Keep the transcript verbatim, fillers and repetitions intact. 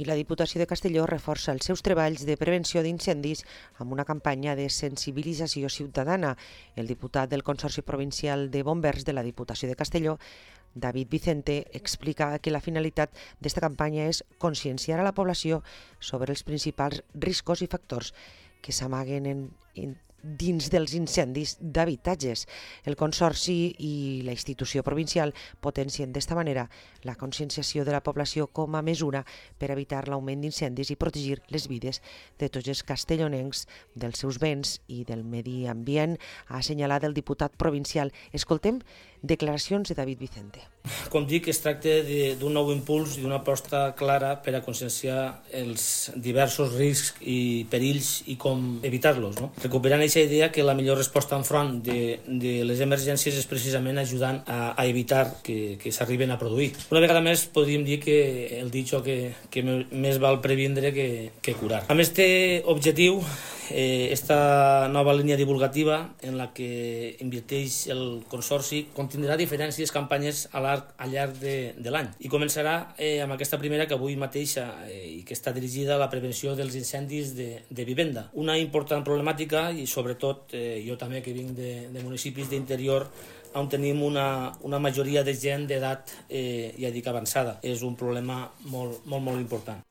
I la Diputació de Castelló reforça els seus treballs de prevenció d'incendis amb una campanya de sensibilització ciutadana. El diputat del Consorci Provincial de Bombers de la Diputació de Castelló, David Vicente, explica que la finalitat d'esta campanya és conscienciar a la població sobre els principals riscos i factors que s'amaguen en, en dins dels incendis d'habitatges. El Consorci i la institució provincial potencien d'esta manera la conscienciació de la població com a mesura per evitar l'augment d'incendis i protegir les vides de tots els castellonencs, dels seus béns i del medi ambient, ha assenyalat el diputat provincial. Escoltem declaracions de David Vicente. Com dic, es tracta d'un nou impuls i d'una aposta clara per a conscienciar els diversos riscs i perills i com evitar-los. No? Recuperant aquesta idea que la millor resposta enfront de, de les emergències és precisament ajudant a, a evitar que, que s'arriben a produir. Una vegada més podríem dir que el ditxo que, que més val previndre que, que curar. Amb aquest objectiu, eh, esta nova línia divulgativa en la que inverteix el Consorci contindrà diferents campanyes a l'arc al llarg de, de l'any. I començarà eh, amb aquesta primera que avui mateixa eh, i que està dirigida a la prevenció dels incendis de, de vivenda. Una important problemàtica i sobretot eh, jo també que vinc de, de municipis d'interior on tenim una, una majoria de gent d'edat eh, ja dic avançada. És un problema molt, molt, molt important.